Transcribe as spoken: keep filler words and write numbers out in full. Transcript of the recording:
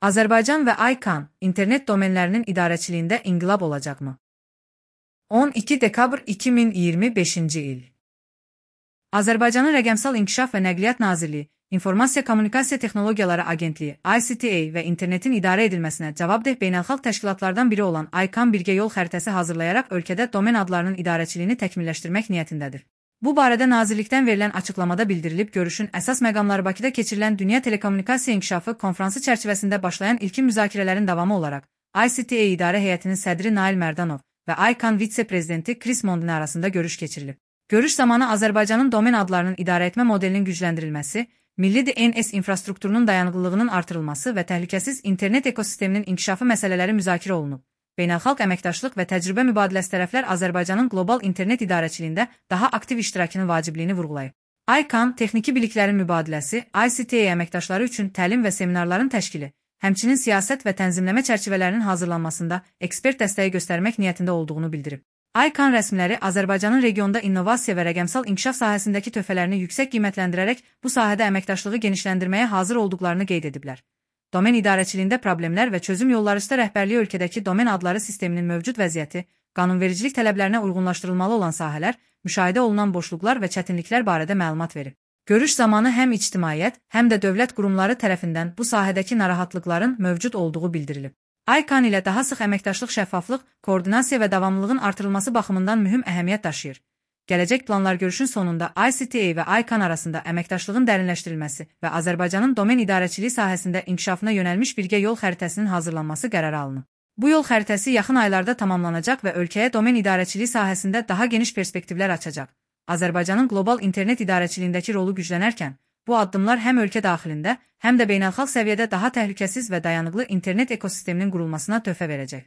Azərbaycan və ICANN internet domenlərinin idarəçiliyində inqilab olacaqmı? on iki dekabr iki min iyirmi beşinci il. Azərbaycanın Rəqəmsal İnkişaf və Nəqliyyat Nazirliyi, İnformasiya Kommunikasiya Texnologiyaları Agentliyi I C T A və internetin idarə edilməsinə cavabdeh beynəlxalq təşkilatlardan biri olan ICANN birgə yol xəritəsi hazırlayaraq ölkədə domen adlarının idarəçiliyini təkmilləşdirmək niyyətindədir. Bu barədə Nazirlikdən verilən açıqlamada bildirilib, görüşün əsas məqamları Bakıda keçirilən Dünya Telekommunikasiya İnkişafı konfransı çərçivəsində başlayan ilkin müzakirələrin davamı olaraq I C T A İdarə Heyətinin sədri Nail Mərdanov və ICANN vitse-prezidenti Chris Mondine arasında görüş keçirilib. Görüş zamanı Azərbaycanın domen adlarının idarə etmə modelinin gücləndirilməsi, milli D N S infrastrukturunun dayanıqlılığının artırılması və təhlükəsiz internet ekosisteminin inkişafı məsələləri müzakirə olunub. Beynəlxalq əməkdaşlıq və təcrübə mübadiləsi tərəflər Azərbaycanın qlobal internet idarəçiliyində daha aktiv iştirakının vacibliyini vurğulayıb. ICANN texniki biliklərin mübadiləsi, I C T A əməkdaşları üçün təlim və seminarların təşkili, həmçinin siyasət və tənzimləmə çərçivələrinin hazırlanmasında ekspert dəstəyi göstərmək niyyətində olduğunu bildirib. ICANN rəsmiləri Azərbaycanın regionda innovasiya və rəqəmsal inkişaf sahəsindəki töhfələrini yüksək qiymətləndirərək bu sahədə əməkdaşlığı genişləndirməyə hazır olduqlarını qeyd ediblər. Domen idarəçiliyində problemlər və çözüm yolları üstə rəhbərliyi ölkədəki domen adları sisteminin mövcud vəziyyəti, qanunvericilik tələblərinə uyğunlaşdırılmalı olan sahələr, müşahidə olunan boşluqlar və çətinliklər barədə məlumat verib. Görüş zamanı həm ictimaiyyət, həm də dövlət qurumları tərəfindən bu sahədəki narahatlıqların mövcud olduğu bildirilib. ICANN ilə daha sıx əməkdaşlıq şəffaflıq, koordinasiya və davamlılığın artırılması baxımından mühüm əhəmiyyət daşıyır. Gələcək planlar görüşün sonunda I C T A və ICANN arasında əməkdaşlığın dərinləşdirilməsi və Azərbaycanın domen idarəçiliyi sahəsində inkişafına yönəlmiş birgə yol xəritəsinin hazırlanması qərarı alınıb. Bu yol xəritəsi yaxın aylarda tamamlanacaq və ölkəyə domen idarəçiliyi sahəsində daha geniş perspektivlər açacaq. Azərbaycanın qlobal internet idarəçiliyindəki rolu güclənərkən, bu addımlar həm ölkə daxilində, həm də beynəlxalq səviyyədə daha təhlükəsiz və dayanıqlı internet ekosisteminin qurulmasına töhfə verəcək.